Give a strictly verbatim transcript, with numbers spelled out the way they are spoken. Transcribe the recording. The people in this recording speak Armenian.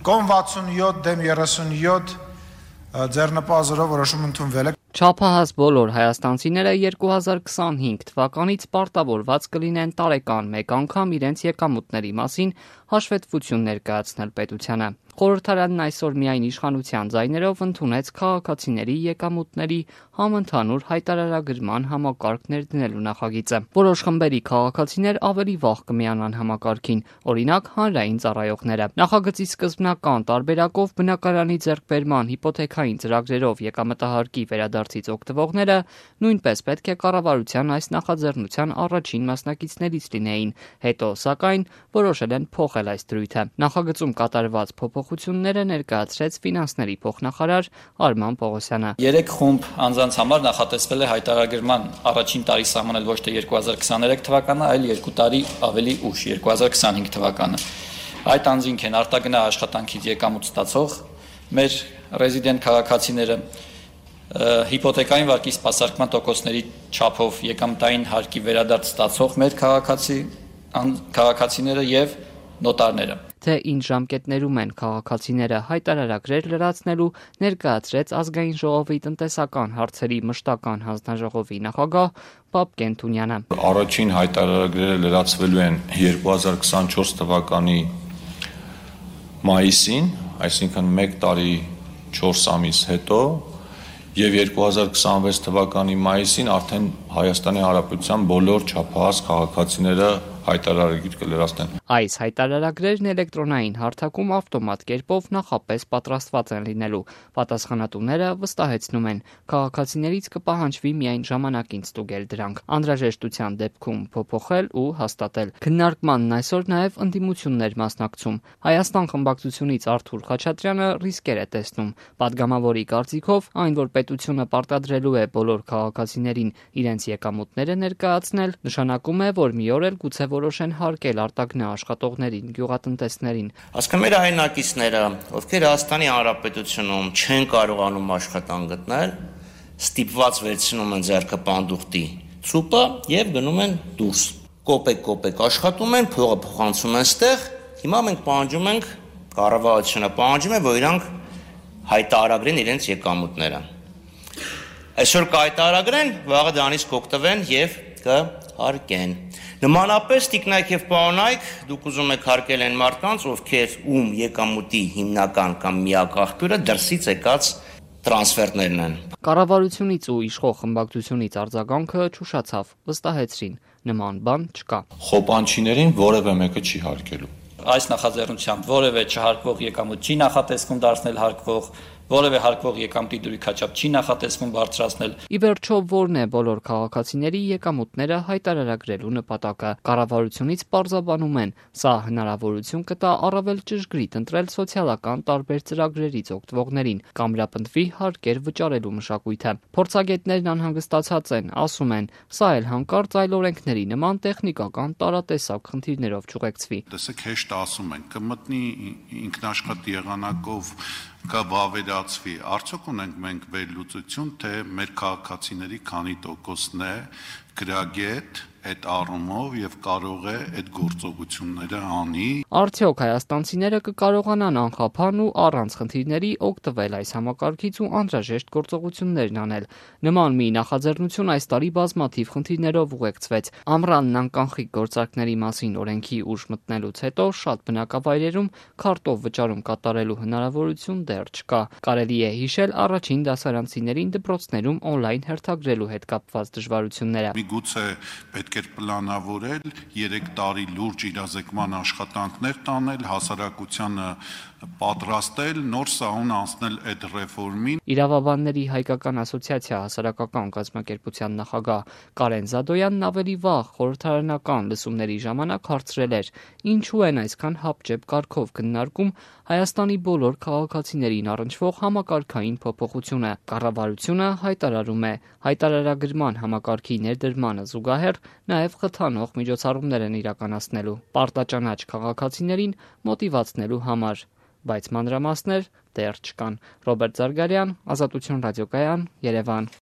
Կոմ վաթսունյոթ դեմ երեսունյոթ ձեռնպազորով որոշում ընդունվել է։ Չափահաս բոլոր հայաստանցիները երկու հազար քսանհինգ թվականից պարտավորված կլինեն տարեկան մեկ անգամ իրենց եկամուտների մասին հաշվետվություն ներկայացնել պետությանը։ Խորհրդարանն այսօր միայն իշխանության ձայներով ընդունեց քաղաքացիների եկամուտների համընդհանուր հայտարարագրման համակարգ ներդնելու նախագիծը։ Որոշ խմբերի քաղաքացիներ ավելի վաղ կմիանան համակարգին, օրինակ հանրային ծառայողները։ Նախագծի սկզբնական տարբերակով բնակարանի ձեռքբերման հիպոթեքային ծրագրերով եկամտահարկի վերադարձից օգտվողները նույնպես պետք է կառավարության այս նախաձեռնության առաջին մասնակիցներից լինեին, հետո սակայն որոշել են փոխել այս դրույթը։ Նախագծում կատարված փոփոխությունները ներկայացրեց ֆինանսների փոխնախարար Արման Պողոսյանը։ Երեք խումբ անձանց համար նախատեսվել է հայտարարագրման առաջին տարի սահմանել ոչ թե երկու հազար քսաներեք թվականը, այլ երկու տարի ավելի ուշ, երկու հազար քսանհինգ թվականը։ Այդ անձինք են արտագնա աշխատանքից եկամուտ ստացող մեր ռեզիդենտ քաղաքացիները, հիպոթեկային վարկի սպասարկման տոկոսների չափով եկամտային հարկի վերադարձ ստացող մեր քաղաքացի քաղաքացիները եւ նոտարները։ Թե ինչ ժամկետներում են քաղաքացիները հայտարարագրեր լրացնելու, ներկայացրեց ազգային ժողովի տնտեսական հարցերի մշտական հանձնաժողովի նախագահ Պապկեն Թունյանը։ Առաջին հայտարարագրերը լրացվելու են երկու հազար քսանչորս թվականի մայիսին, այսինքն մեկ տարի չորս ամիս հետո, եւ երկու հազար քսանվեց թվականի մայիսին արդեն Հայաստանի Հանրապետության բոլոր չափահաս քաղաքացիները հայտարարագիր կլրացնեն։ Այս հայտարարագրերն էլեկտրոնային հարթակում ավտոմատ կերպով նախապես պատրաստված են լինելու։ Պատասխանատուները վստահեցնում են, քաղաքացիներից կպահանջվի միայն ժամանակին ստուգել դրանք, անհրաժեշտության դեպքում փոփոխել ու հաստատել։ Քննարկմանն այսօր նաև ընդդիմություններ մասնակցում։ Հայաստան խմբակցությունից Արթուր Խաչատրյանը ռիսկեր է տեսնում։ Պատգամավորի կարծիքով, այն որ պետությունը պարտադրելու է բոլոր քաղաքացիներին իրենց եկամուտները ներկայացնել, նշանակում է, որ մի օր էլ գուցե որոշեն հարկել արտագնա աշխատողներին, գյուղատնտեսներին։ Ասկա մեր հայրենակիցները, ովքեր Հայաստանի Հանրապետությունում չեն կարողանում աշխատանք գտնել, ստիպված վերցնում են ձեռքը պանդուխտի ցուպը եւ գնում են դուրս։ Կոպեկ-կոպեկ աշխատում են, փողը փոխանցում են ստեղ։ Հիմա մենք պահանջում ենք, կառավարությունը պահանջում է, որ իրանք հայտարարեն իրենց եկամուտները։ Այսօր կհայտարարեն, վաղը դրանից կօգտվեն եւ կհարկեն։ Նմանապես տիկնայք եւ պարոնայք, դուք ուզում եք հարկել այն մարդկանց, ովքեր ում եկամուտի հիմնական կամ միակ աղբյուրը դրսից եկած տրանսֆերտներն են։ Կառավարությունից ու իշխող խմբակցությունից արձագանքը չուշացավ, վստահեցրին, նման բան չկա։ Խոպանչիներին որևէ մեկը չի հարկելու։ Այս նախաձեռնությամբ որևէ չհարկվող եկամուտ չի նախատեսվում դարձնել հարկվող, որևէ հարկվող եկամտի դրույքաչափ չի նախատեսվում բարձրացնել։ Ի վերջո, որն է բոլոր քաղաքացիների եկամուտները հայտարարագրելու նպատակը։ Կառավարությունից պարզաբանում են, սա հնարավորություն կտա առավել ճշգրիտ ընտրել սոցիալական տարբեր ծրագրերից օգտվողներին, կամրապնդվի հարկեր վճարելու մշակույթը։ Փորձագետներն անհանգստացած են, ասում են, սա էլ հանկարծ այլ օրենքների նման տեխնիկական տարատեսակ խնդիրներով չուղեկցվի։ Տեսեք, հեշտ ասում են, կմտնի ինքնաշխատ եղանակով կվավերացվի, արդյոք ունենք մենք վերլուծություն, թե մեր քաղաքացիների քանի տոկոսն է գրագետ այդ առումով եւ կարող է այդ գործողությունները անի։ Արդյոք հայաստանցիները կկարողանան անխափան ու առանց խնդիրների օգտվել այս համակարգից ու անհրաժեշտ գործողություններն անել։ Նման մի նախաձեռնություն այս տարի բազմաթիվ խնդիրներով ուղեկցվեց։ Ամռանն անկանխիկ գործարքների մասին օրենքի ուժ մտնելուց հետո շատ բնակավայրերում քարտով վճարում կատարելու հնարավորություն դեռ չկա։ Կարելի է հիշել առաջին դասարանցիներին դպրոցներում օնլայն հերթագրելու հետ կապված դժվարությունները։ Միգուցե պետք է պլանավորել երեք տարի լուրջ իրազեկման աշխատանքներ տանել, հասարակությանը պատրաստել, նոր սահուն անցնել այդ ռեֆորմին։ Իրավաբանների հայկական ասոցիացիա հասարակական կազմակերպության նախագահ Կարեն Զադոյանն ավելի վաղ խորհրդարանական լսումների ժամանակ հարցրել էր. ինչու են այսքան հապճեպ կարգով քննարկում Հայաստանի բոլոր քաղաքացիներին առնչվող համակարգային փոփոխությունը։ Կառավարությունը հայտարարում է, հայտարարագրման համակարգի ներդրմանը զուգահեռ նաև խթանող միջոցառումներ են իրականացնելու պարտաճանաչ քաղաքացիներին մոտիվացնելու համար, բայց մանրամասներ դեռ չկան։ Ռոբերտ Զարգարյան, Ազատություն ռադիոկայան, Երևան։